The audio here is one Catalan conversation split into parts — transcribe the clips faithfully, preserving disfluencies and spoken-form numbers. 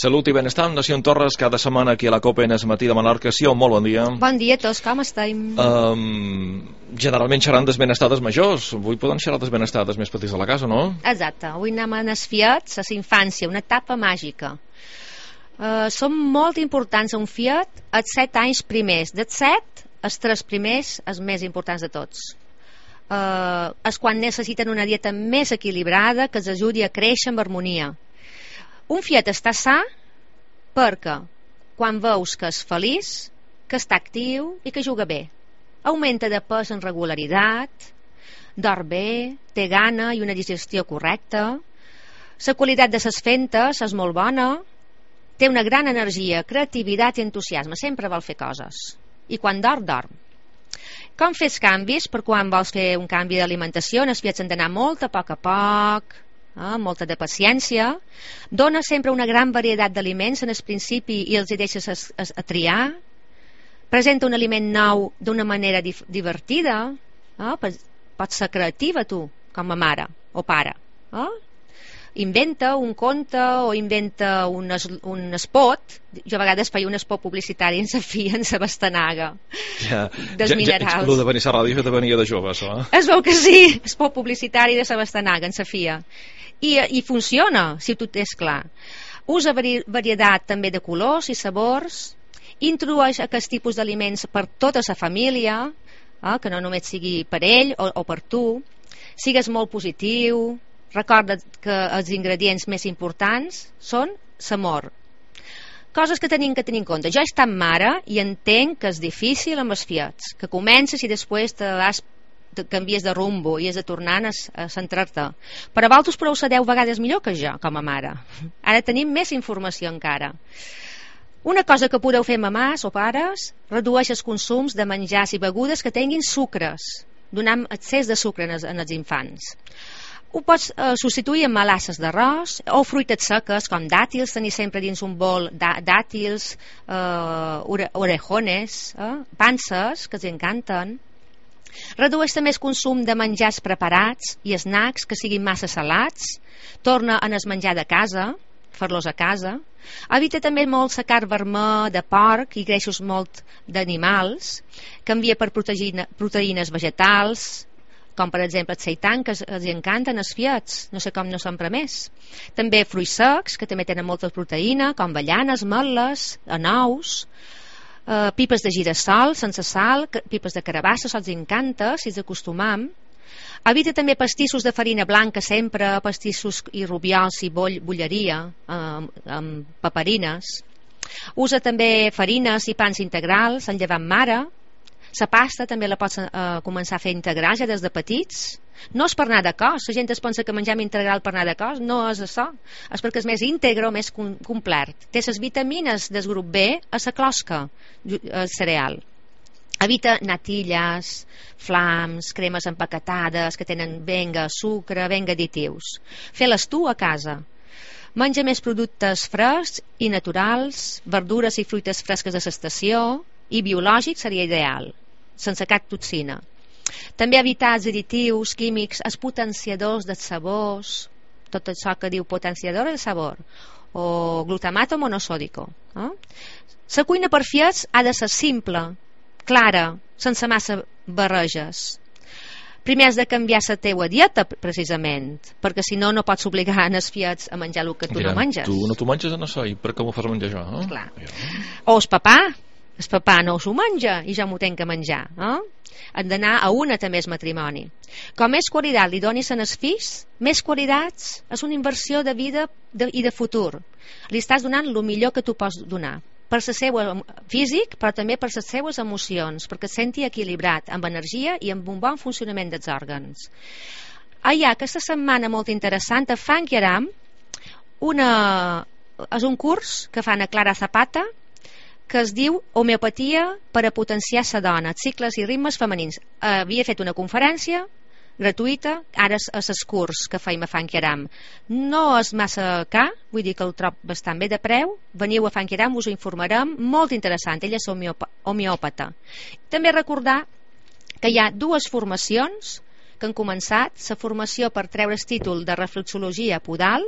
Salut i benestar, Nació Torres, cada setmana aquí a la COPE en es matí de Menorca. Sí, molt bon dia. Bon dia a tots, com estem? Um, generalment xerran des benestades majors. Avui poden xerrar des benestades més petits de la casa, no? Exacte, avui anem a les fiets, a la infància, una etapa màgica. Uh, són molt importants a un fiet els set anys primers. Dels set, els tres primers, els més importants de tots. Uh, és quan necessiten una dieta més equilibrada que els ajudi a créixer amb harmonia. Un fiet està sa perquè quan veus que és feliç, que està actiu i que juga bé. Augmenta de pes en regularitat, dorm bé, té gana i una digestió correcta, la qualitat de ses fentes és molt bona, té una gran energia, creativitat i entusiasme, sempre vol fer coses. I quan dorm, dorm. Com fes canvis? Per quan vols fer un canvi d'alimentació, els fiets han d'anar molt a poc a poc, eh, molta de paciència. Dona sempre una gran varietat d'aliments en el principi i els hi deixes a, a, a triar. Presenta un aliment nou d'una manera dif, divertida. Eh? Pots ser creativa tu, com a mare o pare. Eh? Inventa un conte o inventa un, es, un spot. Jo a vegades feia un spot publicitari en sa filla, en sa bastanaga, ja, dels ja, minerals. Ja, el de venir a la ràdio ja te venia de jove, això, eh? Es veu que sí, spot publicitari de sa bastanaga en sa filla. I, i funciona, si tot és clar. Usa vari, varietat també de colors i sabors, introdueix aquest tipus d'aliments per tota la família, eh, que no només sigui per ell o, o per tu. Sigues molt positiu. Recorda que els ingredients més importants són l'amor. Coses que tenim que tenir en compte. Jo he estat mare i entenc que és difícil amb els fiets, que comences i després te, has, te canvies de rumbo i has de tornar a, a centrar-te. Però vosaltres prou sabeu vegades millor que jo com a mare. Ara tenim més informació encara. Una cosa que podeu fer mamàs o pares, redueix els consums de menjars i begudes que tinguin sucres, donant excés de sucre en els, en els infants. Ho pots eh, substituir amb melasses d'arròs o fruites seques com dàtils, tenir sempre dins un bol dàtils, eh, orejones, eh, panses, que els encanten. Redueix també el consum de menjars preparats i snacks que siguin massa salats. Torna en el menjar de casa, fer-los a casa. Evita també molt la carn vermella de porc i greixos molt d'animals. Canvia per proteïna, proteïnes vegetals, com per exemple el seitan, que els encanten els fiets, no sé com no s'empra més. També fruits secs, que també tenen molta proteïna, com avellanes, ametles, anous, eh, pipes de girassol sense sal, pipes de carabassa, se'ls encanta, si els acostumam. Evita també pastissos de farina blanca sempre, pastissos i rubiols i boll, bolleria, eh, amb paperines. Usa també farines i pans integrals, en llevant mare. La pasta també la pots eh, començar a fer integral ja des de petits. No és per anar de cos, la gent es pensa que menjam integral per anar de cos, no és això, és perquè és més íntegre, més com, complet. Té les vitamines del grup B a la closca, el cereal. Evita natilles, flams, cremes empaquetades que tenen venga sucre, venga additius. Fes-les tu a casa. Menja més productes frescs i naturals, verdures i fruites fresques de l'estació, i biològic seria ideal, sense cap toxina. També evitar els additius químics, els potenciadors dels sabors, tot això que diu potenciador del sabor, o glutamato monosòdico. Eh? La cuina per fiets ha de ser simple, clara, sense massa barreges. Primer has de canviar la teua dieta, precisament, perquè si no, no pots obligar els fiets a menjar el que tu Dirà, no menges. Tu no t'ho menges en això, i per què m'ho fas menjar jo? Eh? Clar. Ja. O el papà, el papà no s'ho menja i ja m'ho tenc que menjar. Eh? Han d'anar a una també el matrimoni. Com més qualitat li donis a els fills, més qualitats és una inversió de vida de, i de futur. Li estàs donant el millor que tu pots donar, per el seu físic, però també per les seues emocions, perquè es senti equilibrat, amb energia i amb un bon funcionament dels òrgans. Ah, hi ha aquesta setmana molt interessant a Funky Aram, una, és un curs que fan a Clara Zapata, que es diu Homeopatia per a potenciar la dona, cicles i ritmes femenins. Havia fet una conferència gratuïta, ara és el curs que feim a Funky Aram. No és massa car, vull dir que el trob bastant bé de preu. Veniu a Funky Aram, us ho informarem, molt interessant, ella és homeòpata. També recordar que hi ha dues formacions que han començat, la formació per treure el títol de reflexologia podal,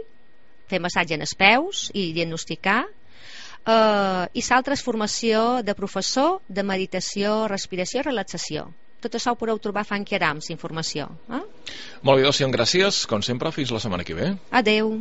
fer massatge en els peus i diagnosticar, eh, i l'altra és formació de professor de meditació, respiració i relaxació. Tot això ho podeu trobar a Funky Arams, informació. Eh? Molt bé, doncs, gràcies. Com sempre, fins la setmana que ve. Adeu.